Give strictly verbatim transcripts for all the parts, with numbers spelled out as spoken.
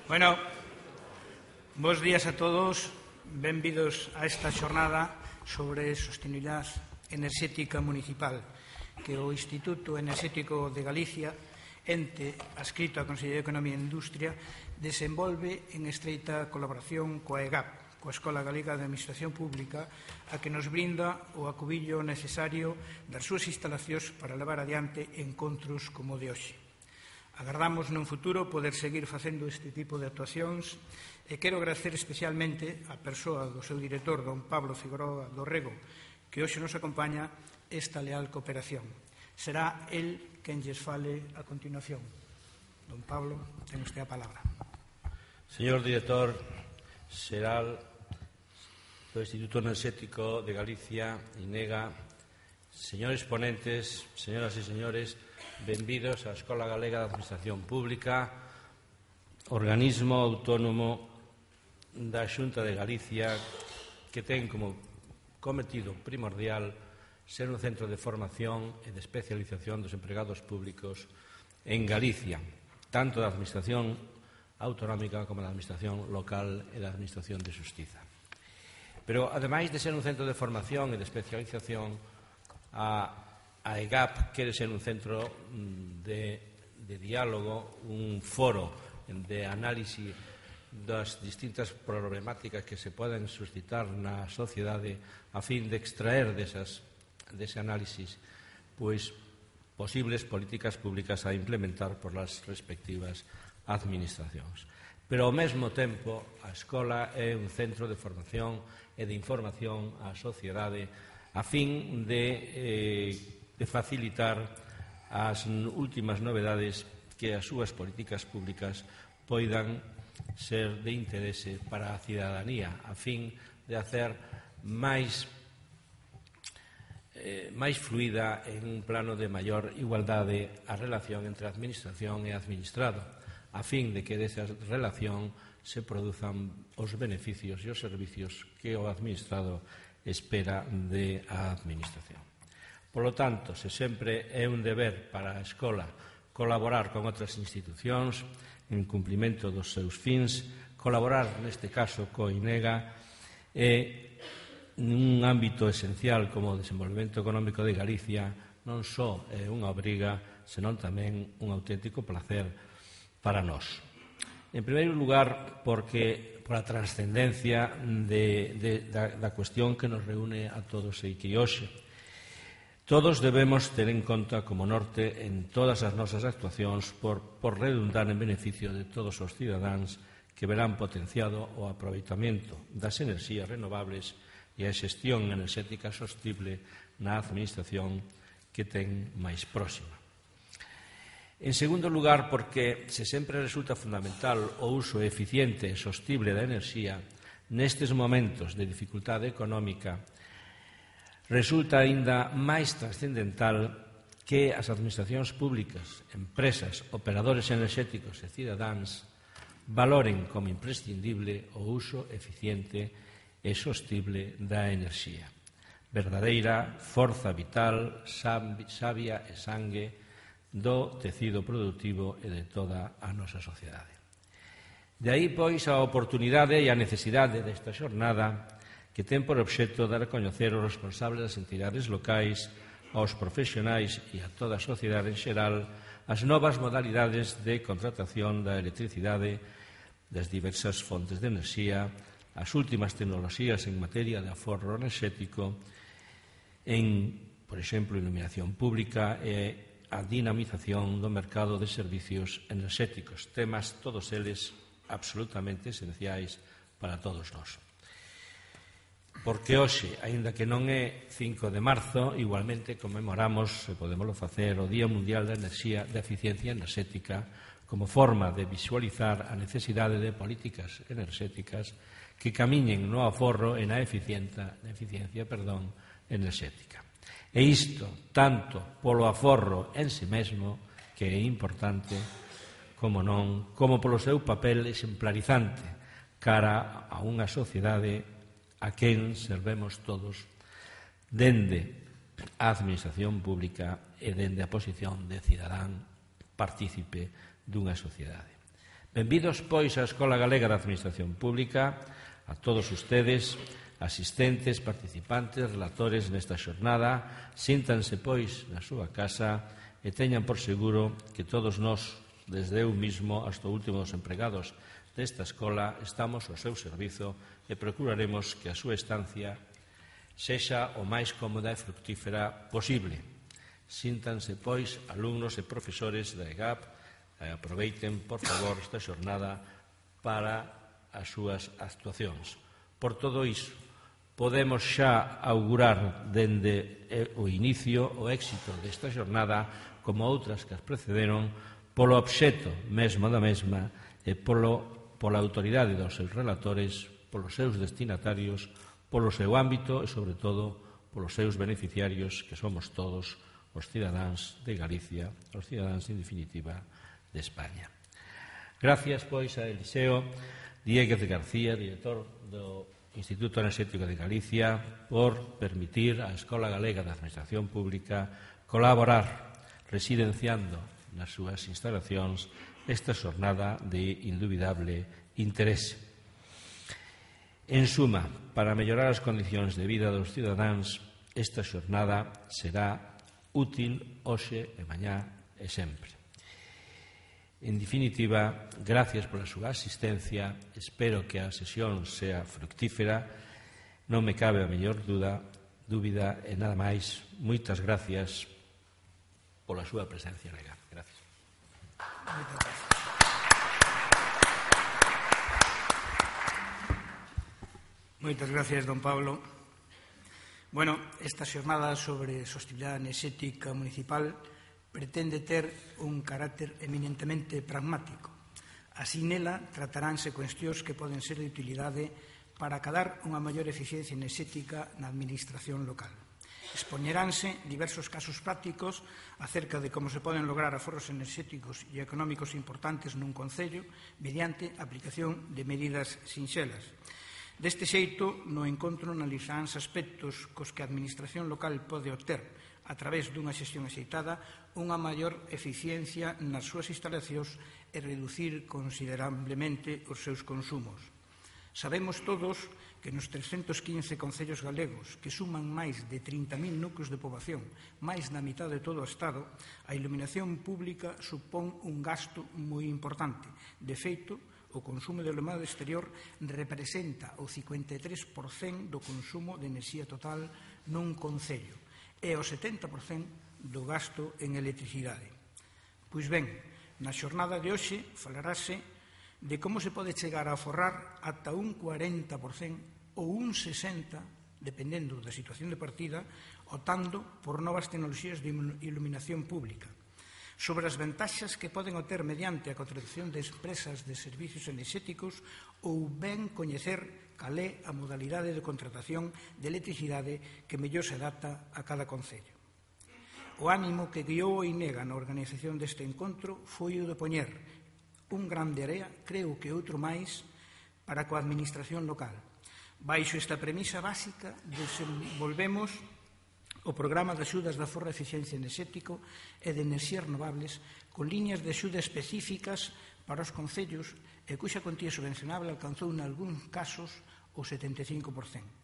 Bueno, bos días a todos, benvidos a esta xornada sobre sostenibilidade enerxética municipal que o Instituto Enerxético de Galicia, ente adscrito á Consellería de Economía e Industria, desenvolve en estreita colaboración coa E G A P, coa Escola Galega de Administración Pública, a que nos brinda o acubillo necesario das súas instalacións para levar adiante encontros como o de hoxe. Agardamos nun futuro poder seguir facendo este tipo de actuacións e quero agradecer especialmente a persoa do seu director, don Pablo Figueroa Dorrego, que hoxe nos acompaña esta leal cooperación. Será el quen lles fale a continuación. Don Pablo, ten usted a palabra. Señor director xeral do Instituto Enerxético de Galicia, INEGA, señores ponentes, señoras e señores, benvidos á Escola Galega de Administración Pública, organismo autónomo da Xunta de Galicia que ten como cometido primordial ser un centro de formación e de especialización dos empregados públicos en Galicia, tanto da Administración autonómica como da Administración local e da Administración de Xustiza. Pero, ademais de ser un centro de formación e de especialización, a A E G A P quere ser un centro de, de diálogo, un foro de análise das distintas problemáticas que se poden suscitar na sociedade a fin de extraer desas, dese análisis pois, posibles políticas públicas a implementar por las respectivas administracións. Pero, ao mesmo tempo, a escola é un centro de formación e de información á sociedade a fin de eh, de facilitar as últimas novedades que as súas políticas públicas poidan ser de interese para a cidadanía, a fin de hacer máis, eh, máis fluida en un plano de maior igualdade a relación entre a administración e administrado, a fin de que desa relación se produzan os beneficios e os servicios que o administrado espera de a administración. Polo tanto, se sempre é un deber para a escola colaborar con outras institucións en cumprimento dos seus fins, colaborar, neste caso, co INEGA, e nun ámbito esencial como o desenvolvemento económico de Galicia non só é unha obriga, senón tamén un auténtico placer para nós. En primeiro lugar, porque por a trascendencia de, de, da, da cuestión que nos reúne a todos e que hoxe todos debemos ter en conta como norte en todas as nosas actuacións por, por redundar en beneficio de todos os cidadáns que verán potenciado o aproveitamento das enerxías renovables e a xestión enerxética sostible na administración que ten máis próxima. En segundo lugar, porque se sempre resulta fundamental o uso eficiente e sostible da enerxía nestes momentos de dificultade económica, resulta aínda máis trascendental que as administracións públicas, empresas, operadores enerxéticos e cidadáns valoren como imprescindible o uso eficiente e sostible da enerxía. Verdadeira forza vital, savia e sangue do tecido productivo e de toda a nosa sociedade. De aí, pois, a oportunidade e a necesidade desta xornada que ten por obxecto dar a coñecer os responsables das entidades locais, aos profesionais e a toda a sociedade en xeral as novas modalidades de contratación da electricidade, das diversas fontes de enerxía, as últimas tecnoloxías en materia de aforro enerxético, en, por exemplo, iluminación pública e a dinamización do mercado de servicios enerxéticos, temas todos eles absolutamente esenciais para todos nós. Porque hoxe, aínda que non é cinco de marzo, igualmente conmemoramos, e podémoslo facer, o Día Mundial da Enerxía da Eficiencia Enerxética como forma de visualizar a necesidade de políticas enerxéticas que camiñen no aforro e na eficiencia, na eficiencia perdón, enerxética. E isto, tanto polo aforro en si mesmo, que é importante, como non, como polo seu papel exemplarizante cara a unha sociedade a quen servemos todos dende a administración pública e dende a posición de cidadán partícipe dunha sociedade. Benvidos, pois, á Escola Galega de Administración Pública, a todos ustedes, asistentes, participantes, relatores nesta xornada. Síntanse, pois, na súa casa e teñan por seguro que todos nós, desde eu mismo hasta o último dos empregados desta escola, estamos ao seu servizo e procuraremos que a súa estancia sexa o máis cómoda e fructífera posible. Síntanse, pois, alumnos e profesores da E G A P e aproveiten, por favor, esta xornada para as súas actuacións. Por todo iso, podemos xa augurar dende o inicio o éxito desta xornada, como outras que as precederon, polo obxecto mesmo da mesma e polo, pola autoridade dos seus relatores, polos seus destinatarios, polo seu ámbito e, sobre todo, polos seus beneficiarios, que somos todos os cidadáns de Galicia, os cidadáns, en definitiva, de España. Gracias, pois, a Eliseo Dieguez de García, director do Instituto Enerxético de Galicia, por permitir á Escola Galega de Administración Pública colaborar residenciando nas súas instalacións esta xornada de indubidable interese. En suma, para mellorar as condicións de vida dos cidadáns, esta xornada será útil hoxe e mañá e sempre. En definitiva, gracias pola súa asistencia, espero que a sesión sea fructífera, non me cabe a mellor dúda, dúbida e nada máis. Moitas gracias pola súa presencia legal. Gracias. Moitas gracias, don Pablo. Bueno, esta xornada sobre sostenibilidade enerxética municipal pretende ter un carácter eminentemente pragmático. Así nela trataránse cuestións que poden ser de utilidade para acadar unha maior eficiencia enerxética na administración local. Expoñeránse diversos casos prácticos acerca de como se poden lograr aforros enerxéticos e económicos importantes nun concello mediante a aplicación de medidas sinxelas. Deste xeito, no encontro analizaránse aspectos cos que a administración local pode obter, a través dunha xestión axeitada, unha maior eficiencia nas súas instalacións e reducir considerablemente os seus consumos. Sabemos todos que nos trescentos quince concellos galegos, que suman máis de trinta mil núcleos de poboación, máis da mitad de todo o Estado, a iluminación pública supón un gasto moi importante. De feito, o consumo de alumbrado exterior representa o cincuenta e tres por cento do consumo de enerxía total nun concello e o setenta por cento do gasto en electricidade. Pois ben, na xornada de hoxe falarase de como se pode chegar a aforrar ata un cuarenta por cento ou un sesenta por cento, dependendo da situación de partida, optando por novas tecnoloxías de iluminación pública. Sobre as ventaxas que poden obter mediante a contratación de empresas de servicios enerxéticos ou ben coñecer cal é a modalidade de contratación de electricidade que mellor se adapta a cada concello. O ánimo que guiou o INEGA na organización deste encontro foi o de poñer un grande area, creo que outro máis, para coa administración local. Baixo esta premisa básica, desenvolvemos o programa de axudas de aforro de eficiencia enerxético e de enerxías renovables con liñas de axuda específicas para os concellos e cuxa contía subvencionable alcanzou en algúns casos o setenta e cinco por cento.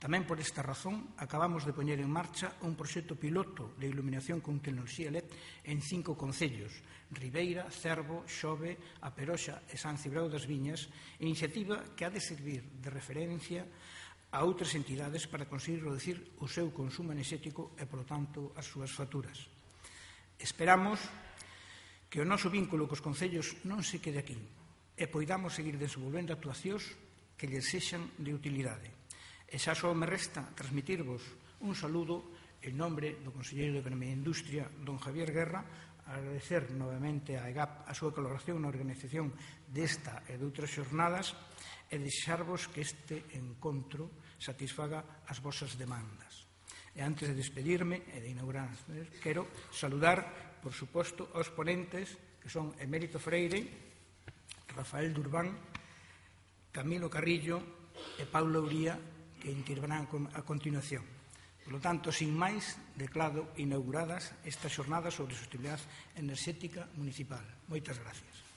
Tamén por esta razón acabamos de poñer en marcha un proxecto piloto de iluminación con tecnoloxía L E D en cinco concellos: Ribeira, Cervo, Xove, A Peroxa e San Cibrao das Viñas, iniciativa que ha de servir de referencia a outras entidades para conseguir reducir o seu consumo enerxético e, polo tanto, as súas facturas. Esperamos que o noso vínculo cos concellos non se quede aquí e poidamos seguir desenvolvendo actuacións que lles sexan de utilidade. E xa só me resta transmitirvos un saludo en nombre do conselleiro de Economía e Industria, don Javier Guerra, agradecer novamente a E G A P a súa colaboración na organización desta e de outras xornadas e deixarvos que este encontro satisfaga as vosas demandas. E antes de despedirme e de inaugurar, quero saludar, por suposto, aos ponentes, que son Emérito Freire, Rafael Durbán, Camilo Carrillo e Paulo Uría, que intervirán a continuación. Por lo tanto, sin máis, declaro inauguradas esta xornada sobre sostenibilidade enerxética municipal. Moitas gracias.